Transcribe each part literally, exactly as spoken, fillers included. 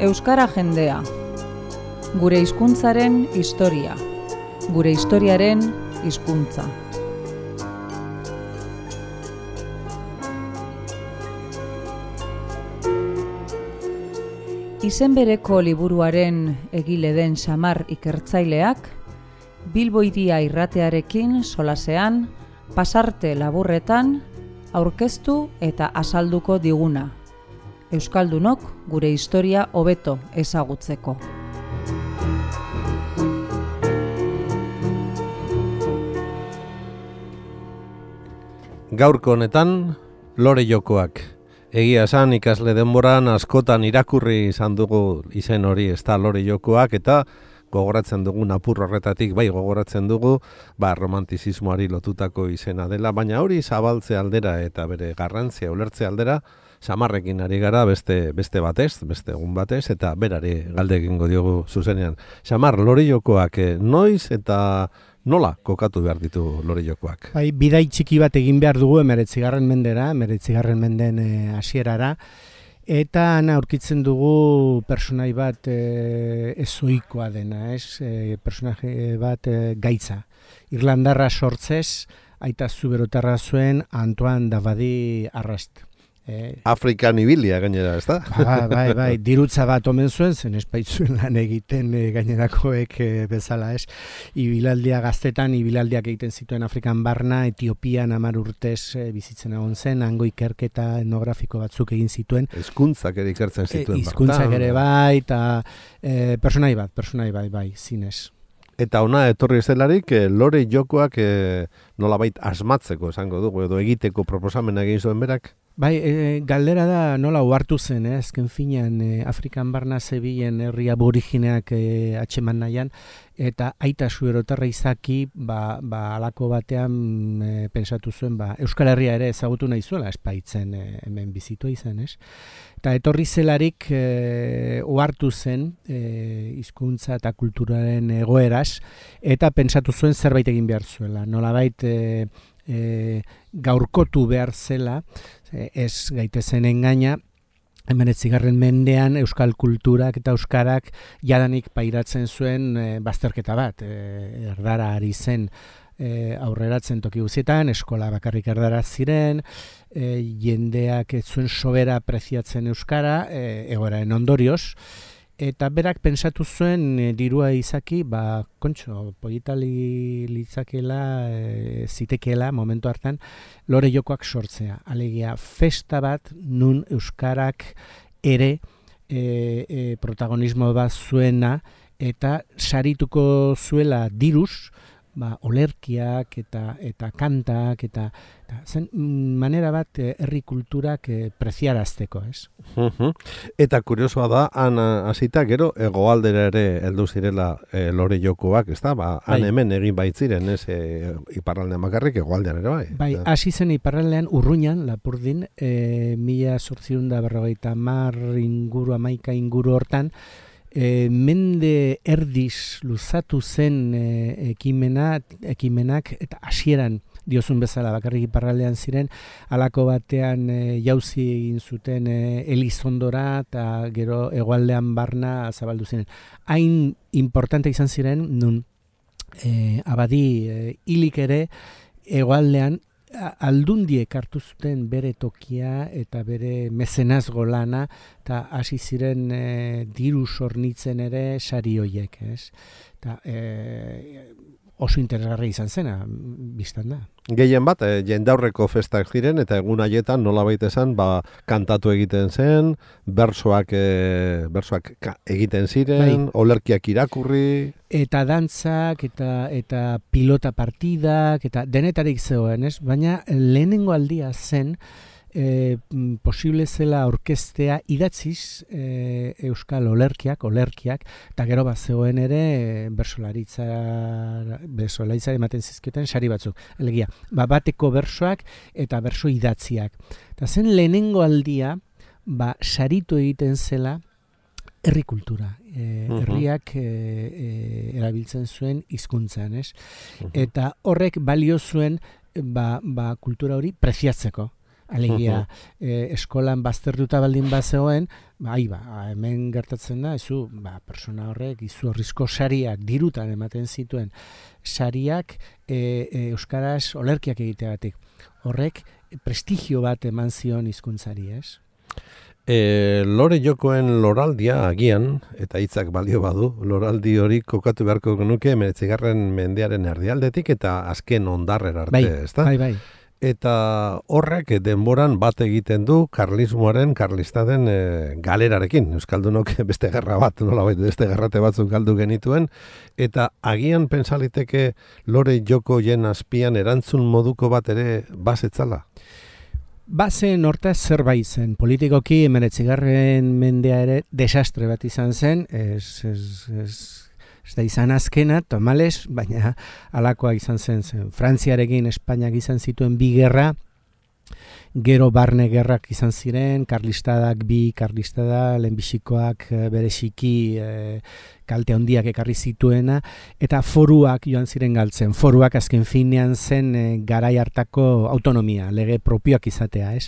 Euskara jendea. Gure hizkuntzaren historia. Gure historiaren hizkuntza. Izen bereko liburuaren egile den Xamar ikertzaileak, Bilbo Hiria irratearekin solasean, pasarte laburretan, aurkeztu eta azalduko diguna. Euskaldunok gure historia hobeto ezagutzeko. Gaurko honetan, lore jokoak. Egia esan ikasle denboran askotan irakurri izan dugu izen hori, ez da lore jokoak, eta gogoratzen dugu apur horretatik, bai gogoratzen dugu, ba, romantizismoari lotutako izena dela, baina hori zabaltze aldera eta bere garrantzia ulertze aldera, Xamarrekin ari gara beste beste batez, beste egun batez, eta berari galde egingo diogu zuzenean. Xamar, lore jokoak noiz eta nola kokatu behar ditu lore jokoak? Bai, bidai txiki bat egin behar dugu emeretzigarren mendera, emeretzigarren menden hasierara, eta han aurkitzen dugu personai bat e, ezoikoa dena, ez? E, personaje bat e, gaitza. Irlandarra sortzez, aita zuberotarra zuen Antoine Davadi Arrast. Eh, Afrikan ibilia gainera, ez da? Ba, bai, bai, dirutza bat omen zuen, zen espaitzuen lan egiten e, gainerakoek e, bezala, ez? Ibilaldia gaztetan, ibilaldiak egiten zituen Afrikan barna, Etiopian hamar urtez e, bizitzen egon zen, hango ikerketa etnografiko batzuk egin zituen. Hizkuntzak ere ikertzen zituen. E, hizkuntzak ere bai, eta e, personai bat, personai bai, bai, zinez. Eta ona etorri zelarik, e, lore jokoak e, nolabait asmatzeko esango dugu, edo egiteko proposamena egin zuen berak? Bai, e, galdera da nola uhartu zen, eh? Azken finean e, Afrikan barna zebilen herri aborigineak e, atxeman nahian, eta aita zuberotarra izaki, ba, ba alako batean e, pensatu zuen, ba, Euskal Herria ere ezagutu nahi zuela, espaitzen e, hemen bizitua izan, ez? Eta etorri zelarik e, uhartu zen e, hizkuntza eta kulturaren egoeraz, eta pentsatu zuen zerbait egin behar zuela, nolabait e, e, gaurkotu behar zela, ez gaitezen engaina, hemeretzigarren mendean euskal kulturak eta euskarak jadanik pairatzen zuen e, bazterketa bat. E, erdara ari zen e, aurreratzen toki guztietan, eskola bakarrik erdara ziren, e, jendeak ez zuen sobera preziatzen euskara, e, egoeraren ondorioz, eta berak pentsatu zuen e, dirua izaki, ba, kontxo, politali litzakela, e, zitekeela, momentu hartan, lore jokoak sortzea. Alegia, festa bat nun euskarak ere e, e, protagonismo bat zuena, eta sarituko zuela diruz, ba, olerkiak eta eta kantak eta, eta zen manera bat herri kulturak e, preziarazteko, ez? Uh-huh. Eta kuriosoa da, han hasita gero hegoaldera ere heldu zirela e, lore jokoak, ez da? Ba, han bai. Hemen egin baitziren, ez e, iparraldean bakarrik hegoaldean ere bai. Bai, hasi zen iparraldean Urruñan, Lapurdin, e, mila zortziehun eta berrogeita hamar inguru, hamaika inguru hortan, E, mende erdiz luzatu zen e, ekimena, ekimenak eta hasieran diozun bezala bakarrik iparraldean ziren, halako batean e, jauzi egin zuten e, Elizondora eta gero hegoaldean barna zabaldu ziren. Hain importante izan ziren, nun e, abadi e, hilik ere hegoaldean aldundiek hartu zuten bere tokia eta bere mezenazgo lana eta hasi ziren e, diru sornitzen ere sari hoiek, ez? Eta e, oso interesgarri izan zena, biztan da. Gehien bat, e, jendaurreko festak ziren, eta egun haietan nolabait esan, ba, kantatu egiten zen, bersoak, e, bersoak egiten ziren, bai. Olerkiak irakurri. Eta dantzak, eta eta pilota partidak, eta denetarik zegoen, ez? Baina lehenengo aldia zen, E, posible zela orkestea idatziz e, euskal olerkiak, olerkiak, eta gero bat zegoen ere bersolaritza, bersolaritza ematen zizkioten sari batzuk. Elegia, ba, bateko bersoak eta berso idatziak. Eta zen lehenengo aldia, ba, saritu egiten zela herri kultura. E, uh-huh. Herriak e, e, erabiltzen zuen hizkuntzan, ez? Uh-huh. Eta horrek balio zuen ba, ba, kultura hori preziatzeko. Alegia, e, eskolan baztertuta baldin bazegoen, bai, ba, hemen gertatzen da, ezu, ba, persona horrek izu horrizko sariak dirutan ematen zituen sariak e, e, euskaraz olerkiak egiteagatik. Horrek prestigio bat eman zion hizkuntzari, ez? E, lore jokoen loraldia agian, eta hitzak balio badu, loraldi hori kokatu beharko genuke hemeretzigarren mendearen erdialdetik eta azken ondarrera arte, bai, ezta? Bai, bai. Eta horrek denboran bat egiten du karlismoaren, karlistaden e, galerarekin. Euskaldunok beste gerra bat, nolabait beste gerrate batzuk galdu genituen. Eta agian pensaliteke lore joko jen azpian erantzun moduko bat ere bazetzala? Bazen hortaz zerbait zen. Politikoki hemeretzigarren mendea ere desastre bat izan zen. Ez, ez, ez, ez da izan azkena, tomales, baina halakoa izan zen zen. Frantziarekin Espainiak izan zituen bi gerra, gero barne gerrak izan ziren, karlistadak bi, karlistada, lehenbizikoak bereziki e, kalte handiak ekarri zituena, eta foruak joan ziren galtzen. Foruak azken finean zen e, garai hartako autonomia, lege propioak izatea, ez?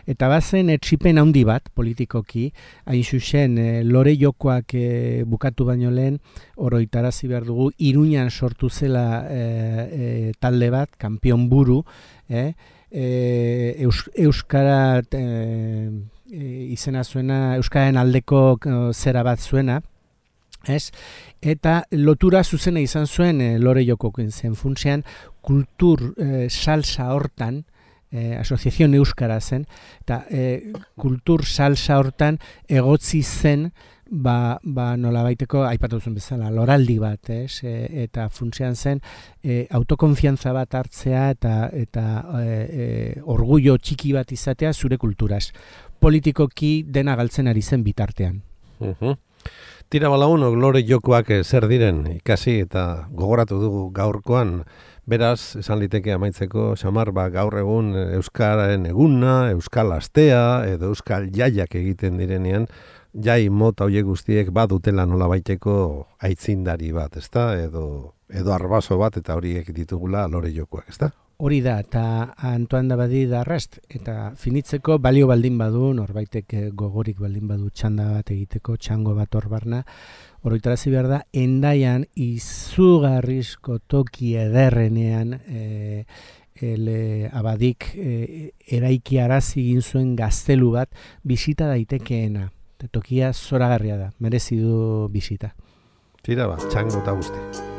Eta bazen etxipen handi bat, politikoki, hain zuzen, e, lore jokoak e, bukatu baino lehen, oroitarazi behar dugu, Iruñan sortu zela e, e, talde bat, kanpion buru, eh? E, Eus, Euskara e, e, izena zuena, Euskararen aldeko e, zera bat zuena, ez? Eta lotura zuzena izan zuen e, lore jokokin zen funtsean, kultur e, salsa hortan, e, asoziazion Euskara zen, eta e, kultur salsa hortan egotzi zen, ba, ba nola baiteko, aipatu zuen bezala, loraldi bat, ez? E, eta funtsean zen, e, autokonfiantza bat hartzea eta eta e, e, orgullo txiki bat izatea zure kulturaz. Politikoki dena galtzen ari zen bitartean. Uh-huh. Tira balagunok lore jokoak zer diren ikasi eta gogoratu dugu gaurkoan. Beraz, esan liteke amaitzeko, Xamar, ba, gaur egun Euskararen eguna, Euskal Astea edo Euskal Jaiak egiten direnean, jai mota hoiek guztiek badutela nolabaiteko aitzindari bat, ezta? Edo edo arbaso bat eta horiek ditugula lore jokoak, ezta? Hori da, eta Antoine Dabadi da arrast, eta finitzeko balio baldin badu, norbaitek gogorik baldin badu txanda bat egiteko, txango bat hor barna, oroitarazi behar da, Hendaian izugarrizko toki ederrenean e, ele Abadik e, eraiki arazi egin zuen gaztelu bat bisita daitekeena. Tokia zoragarria da, merezi du bisita. Tira ba, txango eta guzti.